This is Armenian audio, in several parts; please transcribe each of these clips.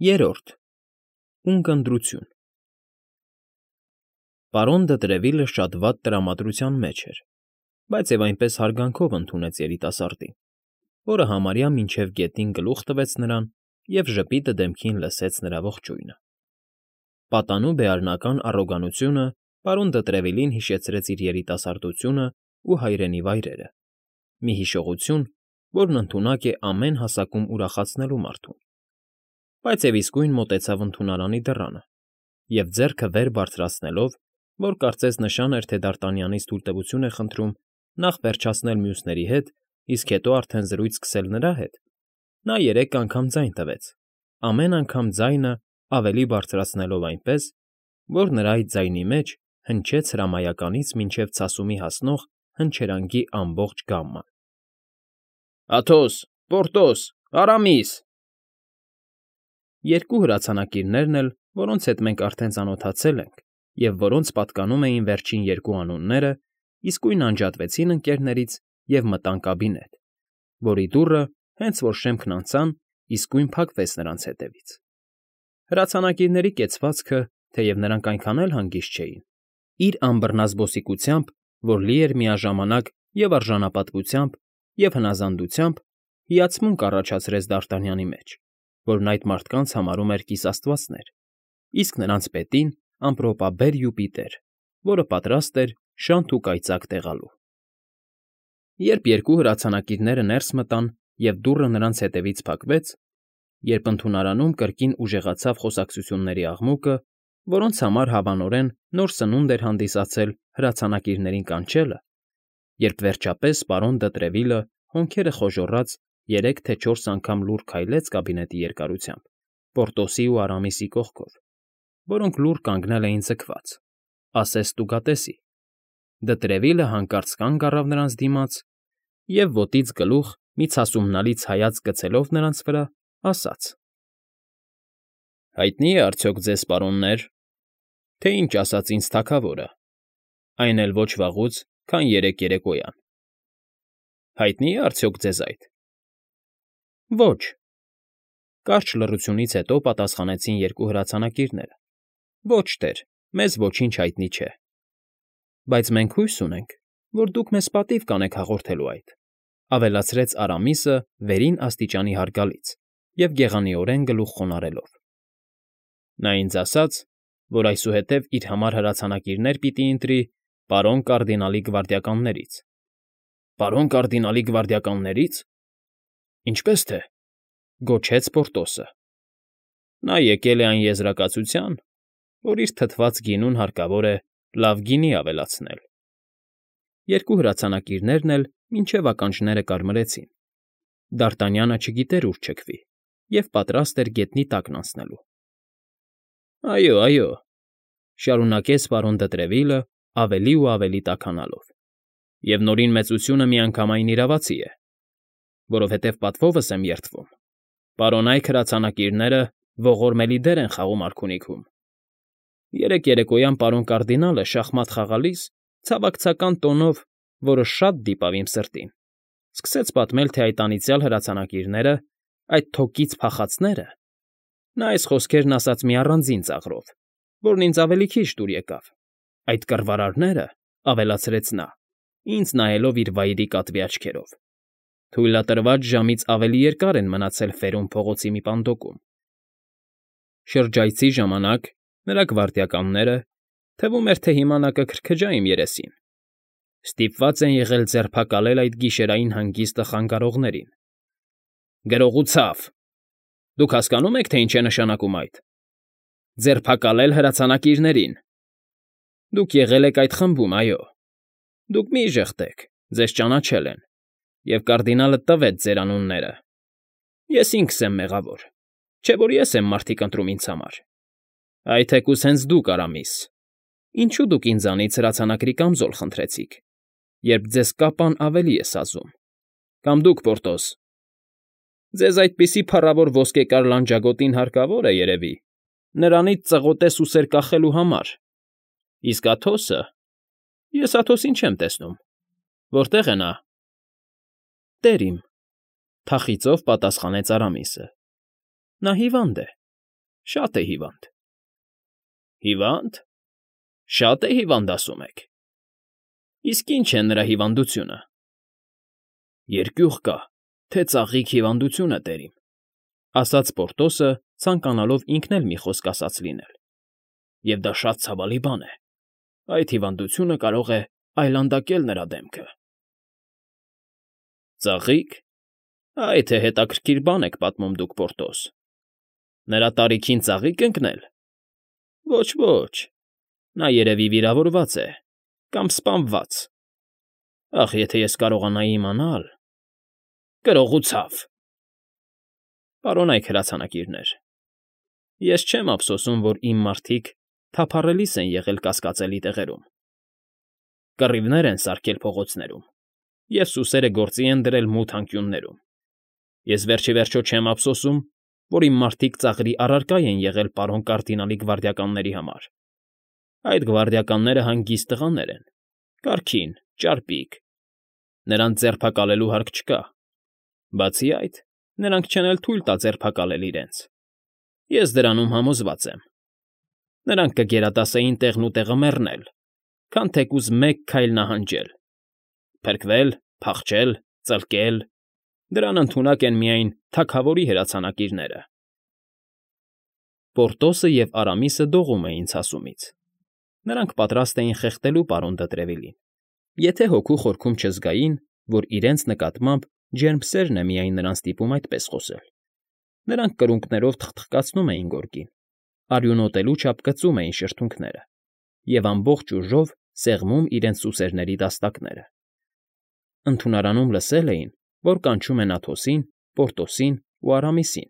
Երրորդ Ունկնդրություն Պարոն Դտրևիլը շատ վատ տրամադրության մեջ էր, բայց և այնպես հարգանքով ընդունեց երիտասարդին, որը համարյա մինչև գետին գլուխ տվեց նրան և ժպիտը դեմքին լսեց նրա ողջույնը։ Պատանու բեարնական առոգանությունը պարոն Դտրևիլին հիշեցրեց իր երիտասարդությունն ու հայրենի վայրերը, մի հիշողություն, որն ընդունակ է ամեն հասակում ուրախացնելու մարդուն, բայց և իսկույն մոտեցավ ընդունարանի դռանը և, ձեռքը վեր բարձրացնելով, որ կարծես նշան էր, թե Դարտանյանից թույլտվություն է խնդրում նախ վերջացնել մյուսների հետ, իսկ հետո արդեն զրույց սկսել նրա հետ, նա երեք անգամ ձայն տվեց, ամեն անգամ ձայնը ավելի բարձրացնելով այնպես, որ նրա այդ ձայնի մեջ հնչեց հրամայականից մինչև ցասումի հասնող հնչերանգի ամբողջ գամման. Աթոս, Պորտոս, Արամիս… Երկու հրացանակիրներն էլ, որոնց հետ մենք արդեն ծանոթացել ենք և որոնց պատկանում էին վերջին երկու անունները, իսկույն անջատվեցին ընկներներից և մտան կաբինետ, որի դուռը, հենց որ շեմքն անցան, իսկույն փակվեց նրանց հետևից։ Հրացանակիրների կեցվածքը, թեև նրանք այնքան էլ հանգիստ չէին, իր անբռնազբոսիկությամբ, որ լի էր միաժամանակ և արժանապատվությամբ, և հնազանդությամբ, հիացմունք առաջացրեց Դարտանյանի մեջ, որն այդ մարդկանց համարում էր կիսաստվածներ, իսկ նրանց պետին ամպրոպաբեր Յուպիտեր, որը պատրաստ էր շանթ ու կայծակ տեղալու։ Երբ երկու հրացանակիրները ներս մտան և դուռը նրանց հետևից փակվեց, երբ ընդունարանում կրկին ուժեղացավ խոսակցությունների աղմուկը, որոնց համար հավանորեն նոր սնունդ էր հանդիսացել հրացանակիրներին կանչելը, երբ վերջապես պարոն Դտրևիլը, հոնքերը խոժոռած, 3 թե 4 անգամ լուռ քայլեց կաբինետի երկարությամբ, Պորտոսի ու Արամիսի կողքով, որոնք լուռ կանգնել էին ձգված, ասես տուգատեսի, Դտրևիլը հանկարծ կանգ առավ նրանց դիմաց և, ոտից գլուխ մի ցասումնալից հայացք գցելով նրանց վրա, ասաց. Հայտնի՞ է արդյոք ձեզ, պարոններ, թե ինչ ասաց ինձ թագավորը, այն էլ ոչ վաղուց, քան երեկոյան. հայտնի՞ է արդյոք ձեզ այդ։ Ոչ… Կարճ լռությունից հետո պատասխանեցին երկու հրացանակիրները. Ոչ, տեր, մեզ ոչինչ հայտնի չէ։ Բայց մենք հույս ունենք, որ դուք մեզ պատիվ կանեք հաղորդելու այդ, ավելացրեց Արամիսը վերին աստիճանի հարգալից և գեղանիորեն գլուխ խոնարհելով. Նա ինձ ասաց, որ այսուհետև իր համար հրացանակիրներ պիտի ընտրի պարոն կարդինալի գվարդիականներից։ Պարոն կարդինալի գվարդիականների՞ց… Ինչպե՞ս թե…֊ գոչեց Պորտոսը։ Նա եկել է այն եզրակացության, որ իր թթված գինուն հարկավոր է լավ գինի ավելացնել։ Երկու հրացանակիրներն էլ մինչև ականջները կարմրեցին։ Դարտանյանը չգիտեր ուր չքվի և պատրաստ էր գետնի տակն անցնելու։ Այո, այո…֊ շարունակեց պարոն Դտրևիլը ավելի ու ավելի տաքանալով, և Նորին մեծությունը միանգամայն իրավացի է, որովհետև պատվովս եմ երդվում, պարոնայք հրացանակիրները ողորմելի դեր են խաղում արքունիքում։ Երեկոյան պարոն կարդինալը շախմատ խաղալիս ցավակցական տոնով, որը շատ դիպավ իմ սրտին, սկսեց պատմել, թե այդ անիծյալ հրացանակիրները, այդ թոկից փախածները… Նա այս խոսքերն ասաց մի առանձին ծաղրով, որն ինձ ավելի քիչ դուր եկավ, այդ կռվարարները, ավելացրեց նա, ինձ նայելով իր վայրի կատվի աչքերով, թույլատրված ժամից ավելի երկար են մնացել Ֆերոն փողոցի մի պանդոկում։ Շրջայցի ժամանակ նրա գվարդիականները, թվում էր, թե հիմա նա կքրքջա իմ երեսին, ստիպված են եղել ձերբակալել այդ գիշերային հանգիստը խանգարողներին։ Գրողու ցավ… Դուք հասկանո՞ւմ եք, թե ինչ է նշանակում այդ… Ձերբակալել հրացանակիրներին… Դուք եղել եք այդ խմբում, այո… Դուք մի՛ ժխտեք, ձեզ ճանաչել են, և կարդինալը տվեց ձեր անունները… Ես ինքս եմ մեղավոր, չէ՞ որ ես եմ մարդիկ ընտրում ինձ համար… Այ թեկուզ հենց դուք, Արամիս… Ինչո՞ւ դուք ինձանից հրացանակրի կամզոլ խնդրեցիք, երբ ձեզ կապան ավելի է սազում… Կամ դուք, Պորտոս… Ձեզ այդպիսի փառավոր ոսկեկար լանջագոտին հարկավոր է, երևի, նրանից ծղոտե սուսեր կախելու համար… Իսկ Աթոսը… Ես Աթոսին չեմ տեսնում… Որտե՞ղ է նա… Տեր իմ… Թախիծով պատասխանեց Արամիսը։ Նա հիվանդ է, Շատ է հիվանդ։ Հիվա՞նդ։ Շատ է հիվանդ, ասում եք։ Իսկ ի՞նչ է նրա հիվանդությունը։ Երկյուղ կա, թե ծաղիկ հիվանդություն է տերիմ, ասաց Պորտոսը, ցանկանալով ինքն էլ մի խոսք ասած լինել։ Եվ դա շատ ցավալի բան է։ Այդ հիվանդությունը կարող է այլանդակել նրա դեմքը։ Ծաղիկ։ Այ թե հետաքրքիր բան եք պատմում դուք, Պորտոս։ Նրա տարիքին ծաղիկ ընկնել։ Ոչ, նա երևի վիրավորված է կամ սպանված։ Ախ, եթե ես կարողանայի իմանալ… Գրողուցավ։ Պարոնայք հրացանակիրներ, ես չեմ ափսոսում, որ իմ մարդիկ թափառելիս են եղել կասկածելի տեղերում, կռիվներ են սարքել փողոցներում և սուսերը գործի են դրել մութ անկյուններում։ Ես վերջիվերջո չեմ ափսոսում, որ իմ մարդիկ ծաղրի առարկա են եղել պարոն կարդինալի գվարդիականների համար։ Այդ գվարդիականները հանգիստ տղաներ են, կարգին, ճարպիկ, նրանց ձերբակալելու հարկ չկա։ Բացի այդ, նրանք չեն էլ թույլ տա ձերբակալել իրենց։ Ես դրանում համոզված եմ։ Նրանք կգերադասեին տեղն ու տեղը մեռնել, քան թեկուզ մեկ քայլ նահանջել, փրկվել, փախչել, ծլկել, դրան ընդունակ են միայն թագավորի հրացանակիրները։ Պորտոսը և Արամիսը դողում էին ցասումից։ Նրանք պատրաստ էին խեղդելու պարոն Դը եթե հոգու խորքում չզգային, որ իրենց նկատմամբ ջերմսերն է միայն նրան ստիպում այդպես խոսել։ Նրանք կրունկներով թխթխկացնում էին գորգին, արյունոտելու չափ կծում էին շրթունքները և ամբողջ ուժով սեղմում իրենց սուսերների դաստակները։ Ընդունարանում լսել էին, որ կանչում են Աթոսին, Պորտոսին ու Արամիսին,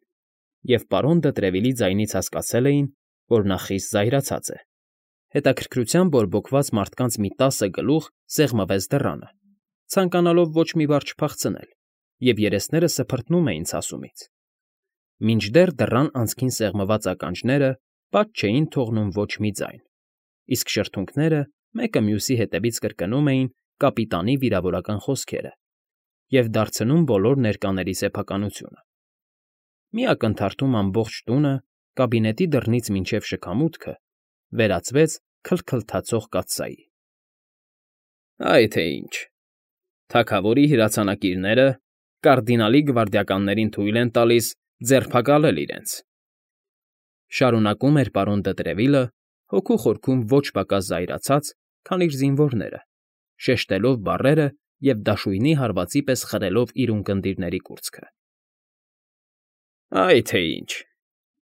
և պարոն Դը ձայնից հասկացել էին, որ նա խիստ զայրացած է։ Հետաքրքրությամբ բորբոքված մարդկանց մի 10 գլուխ սեղմվեց դռանը, ցանկանալով ոչ մի բառ չփախցնել, և երեսները սփռթնում էին ցասումից։ Մինչդեռ դռան անցքին սեղմված ականջները պատ չէին թողնում ոչ մի ձայն, իսկ շրթունքները մեկը մյուսի հետևից կրկնում էին կապիտանի վիրավորական խոսքերը և դարձնում բոլոր ներկաների սեփականությունը։ Մի ակնթարթում ամբողջ տունը, կաբինետի դռնից մինչև շքամուտքը, վերածվեց քլթքլթացող կաթսայի։ Այ թե ինչ։ Թագավորի հրացանակիրները կարդինալի գվարդիականներին թույլ են տալիս ձերբակալել իրենց։ Շարունակում էր պարոն Դը հոգու խորքում ոչ պակաս զայրացած, քան իր զինվորները, շեշտելով բառերը և դաշույնի հարվածի պես խրելով իր ունկնդիրների կուրծքը։ Այ թե ինչ։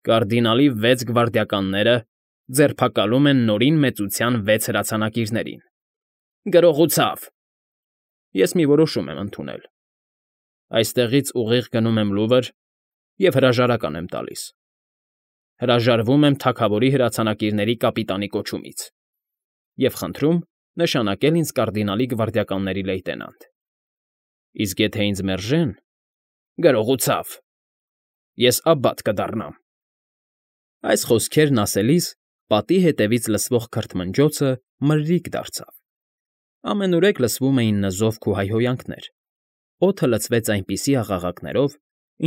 Կարդինալի 6 գվարդիականները ձերբակալում են Նորին Մեծության 6 հրացանակիրներին։ Գրողուցավ։ Ես մի որոշում եմ ընդունել։ Այստեղից ուղիղ գնում եմ Լուվր և հրաժարական եմ տալիս։ Հրաժարվում եմ թագավորի հրացանակիրների կապիտանի կոչումից և խնդրում նշանակել ինձ կարդինալի գվարդիականների լեյտենանտ։ Իսկ եթե ինձ մերժեն… Գրողուցավ։ Ես աբբատ կդառնամ։ Այս խոսքերն ասելիս պատի հետևից լսվող քրթմնջոցը մրրիկ դարձավ։ Ամենուրեք լսվում էին նզովք ու հայհոյանքներ, օդը լցվեց այնպիսի աղաղակներով,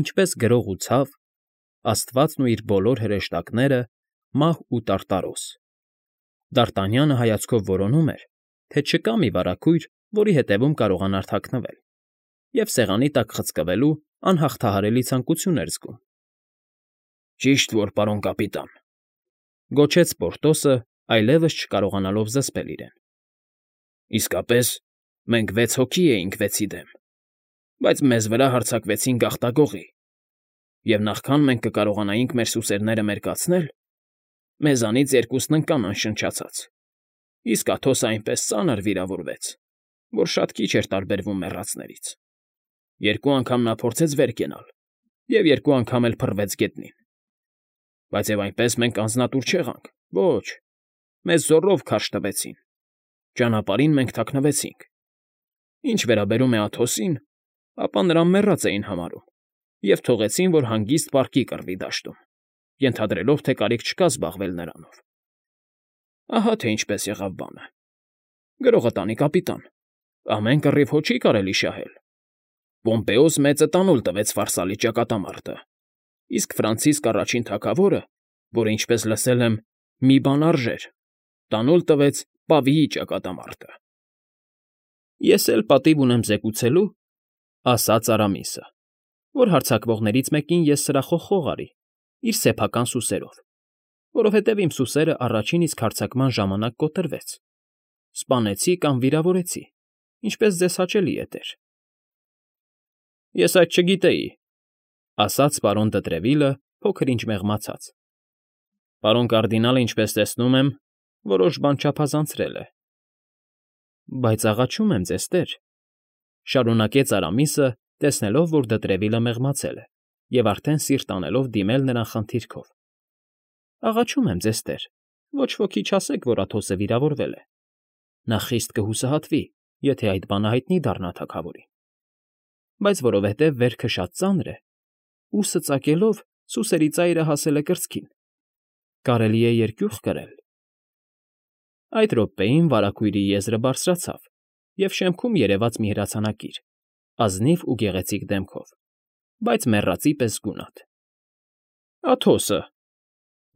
ինչպես գրող ու ցավ, աստվածն ու իր բոլոր հրեշտակները, մահ ու տարտարոս։ Դարտանյանը հայացքով որոնում էր, թե չկա մի վարագույր, որի հետևում կարողանար թաքնվել, և սեղանի տակ խցկվելու անհաղթահարելի ցանկություն էր զգում։ Ճիշտ որ, պարոն կապիտան,֊ գոչեց Պորտոսը, այլևս չկարողանալով զսպել իրեն։ Իսկապես, մենք 6 հոգի էինք 6-ի դեմ, բայց մեզ վրա հարձակվեցին գաղտագողի, և նախքան մենք կկարողանայինք մեր սուսերները մերկացնել, մեզանից երկուսն ընկան անշնչացած, իսկ Աթոսը այնպես ծանր վիրավորվեց, որ շատ քիչ էր տարբերվում մեռածներից։ 2 անգամ նա փորձեց վեր կենալ և 2 անգամ էլ փռվեց գետնին։ Բայց և այնպես մենք անձնատուր չեղանք, ոչ, մեզ զոռով քարշ տվեցին, ճանապարհին մենք թաքնվեցինք։ Ինչ վերաբերում է Աթոսին, ապա նրան մեռած էին համարում և թողեցին, որ հանգիստ պառկի կռվի դաշտում, ենթադրելով, թե կարիք չկա զբաղվել նրանով։ Ահա թե ինչպես եղավ բանը։ Գրողը տանի, կապիտան, ամեն կռիվ հո չի կարելի շահել։ Պոմպեոս մեծը տանուլ տվեց Ֆարսալի ճակատամարտը, իսկ Ֆրանցիսկ առաջին թագավորը որ ինչպես լսել եմ, մի բան արժեր, տանուլ տվեց Պավիի ճակատամարտը։ Ես էլ պատիվ ունեմ զեկուցելու, ասաց Արամիսը, որ հարձակվողներից մեկին ես սրախոխող արի, իր սեփական սուսերով, որովհետև իմ սուսերը առաջին իսկ հարձակման ժամանակ կոտրվեց, սպանեցի կամ վիրավորեցի, ինչպես ձեզ հաճելի է, տեր։ Ես այդ չգիտեի, ասաց պարոն Դտրևիլը, փոքր-ինչ մեղմացած։ Պարոն կարդինալը, ինչպես տեսնում եմ, որոշ բան չափազանցրել է։ Բայց աղաչում եմ ձեզ, տեր, շարունակեց Արամիսը, տեսնելով, որ Դտրևիլը մեղմացել է, և արդեն սիրտ անելով դիմել նրան խնդիրքով։ Աղաչում եմ ձեզ, տեր, ոչ ոքի չասեք, որ Աթոսը վիրավորվել է։ Նա խիստ կհուսահատվի, եթե այդ բանը հայտնի դառնա թագավորին։ Բայց որովհետև վերքը շատ ծանր է, ուսը ծակելով սուսերի ծայրը հասել է կրծքին, կարելի է երկյուղ կրել։ Այդ րոպեին վարագույրի եզրը բարձրացավ, և շեմքում երևաց մի հրացանակիր, ազնիվ ու գեղեցիկ դեմքով, բայց մեռածի պես գունատ։ Աթոսը,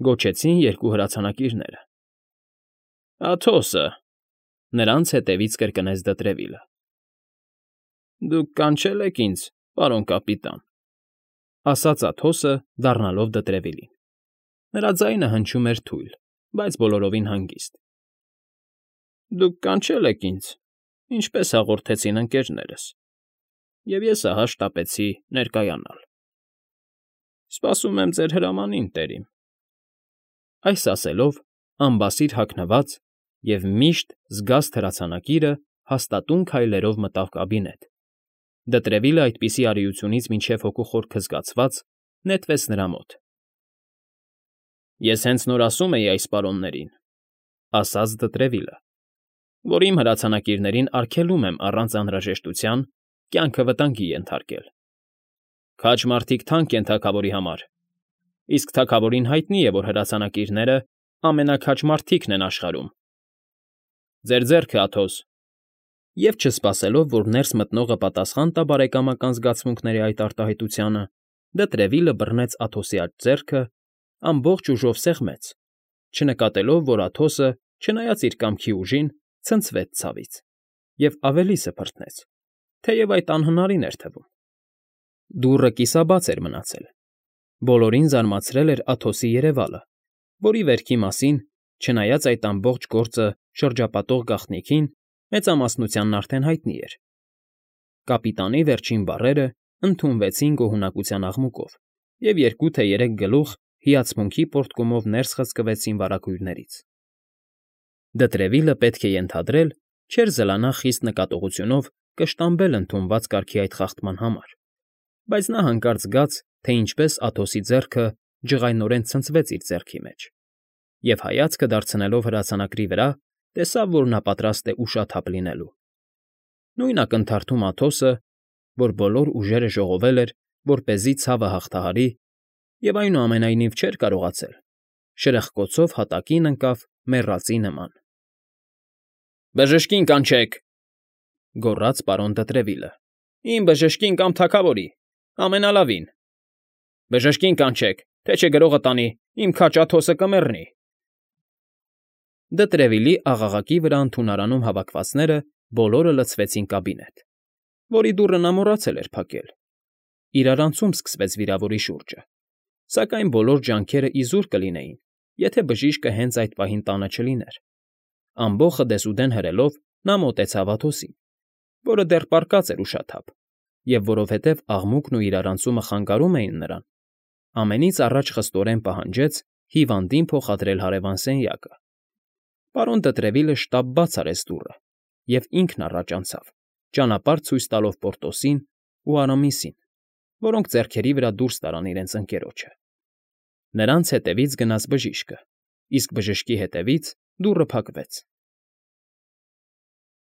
գոչեցին երկու հրացանակիրները։ Աթոսը, նրանց հետևից կրկնեց Դտրևիլը։ Դուք կանչել եք ինձ, պարոն կապիտան, ասաց Աթոսը, դառնալով Դտրևիլին։ Նրա ձայնը հնչում էր թույլ, բայց բոլորովին հանգիստ։ Դուք կանչել եք ինձ, ինչպես հաղորդեցին ընկերներս, և ես ահա շտապեցի ներկայանալ։ Սպասում եմ ձեր հրամանին, տերիմ։ Այս ասելով, անբասիր հագնված և միշտ զգաստ հրացանակիրը հաստատուն քայլերով մտավ կաբինետ։ Դտրևիլը այդպիսի արիությունից մինչև հոգու խորքը զգացված նետվեց նրա մոտ։ Ես հենց նոր ասում էի այս պարոններին, ասաց Դտրևիլը, որ իմ հրացանակիրներին արգելում եմ առանց անհրաժեշտության կյանքը վտանգի ենթարկել։ Քաջ մարդիկ թանկ են թագավորի համար, իսկ թագավորին հայտնի է, որ հրացանակիրները ամենաքաջ մարդիկն են աշխարհում։ Ձեր ձեռքը, Աթոս։ Եվ չսպասելով, որ ներս մտնողը պատասխան տա բարեկամական զգացմունքների այդ արտահայտությանը, Դտրևիլը բռնեց Աթոսի աջ ձեռքը, ամբողջ ուժով սեղմեց, չնկատելով, որ Աթոսը, չնայած իր կամքի ուժին, ցնցվեց ցավից և ավելի սփռտնեց, թեև այդ անհնարին էր թվում։ Դուռը կիսաբաց էր մնացել։ Բոլորին զարմացրել էր Աթոսի երևալը, որի վերքի մասին, չնայած այդ ամբողջ գործը շրջապատող գաղտնիքին, մեծամասնությանն արդեն հայտնի էր։ Կապիտանի վերջին բառերը ընդունվեցին գոհունակության աղմուկով, և 2 թե 3 գլուխ հիացմունքի պոռթկումով ներս խցկվեցին վարագույրներից։ Դտրևիլը պետք է ենթադրել, չէր զլանա խիստ նկատողությունով կշտամբել ընդունված կարգի այդ խախտման համար, բայց նա հանկարծ զգաց, թե ինչպես Աթոսի ձեռքը ջղայնորեն ցնցվեց իր ձեռքի մեջ, և հայացքը դարձնելով հրացանակրի վրա, տեսավ, որ նա պատրաստ է ուշաթափ լինելու։ Նույն ակնթարթում Աթոսը, որ բոլոր ուժերը ժողովել էր, որպեսզի ցավը հաղթահարի, և այնուամենայնիվ չէր կարողացել, շրխկոցով հատակին ընկավ մեռածի նման։ Բժշկին կանչեք, գոռաց պարոն Դտրևիլը։ Իմ բժշկին կամ թագավորի, ամենալավին։ Բժշկին կանչեք, թե չէ գրողը տանի, իմ քաջ Աթոսը կմեռնի։ Դտրևիլի աղաղակի վրա ընդունարանում հավաքվածները բոլորը լցվեցին կաբինետ, որի դուռը նա մոռացել էր փակել։ Իրարանցում սկսվեց վիրավորի շուրջը, սակայն բոլոր ջանքերը իզուր կլինեին, եթե բժիշկը հենց այդ պահին տանը չլիներ։ Ամբոխը դեսուդեն հրելով նա մոտեցավ Աթոսին, որը դեռ պառկած էր ուշաթափ, և որովհետև աղմուկն ու իրարանցումը խանգարում էին նրան, ամենից առաջ խստորեն պահանջեց հիվանդին փոխադրել հարևան սենյակը։ Պարոն Դտրևիլը շտապ բաց արեց դուռը և ինքն առաջ անցավ, ճանապարհ ցույց տալով Պորտոսին ու Արամիսին, որոնք ձեռքերի վրա դուրս տարան իրենց ընկերոջը։ Նրանց հետևից գնաց բժիշկը, իսկ բժշկի հետևից դուռը փակվեց։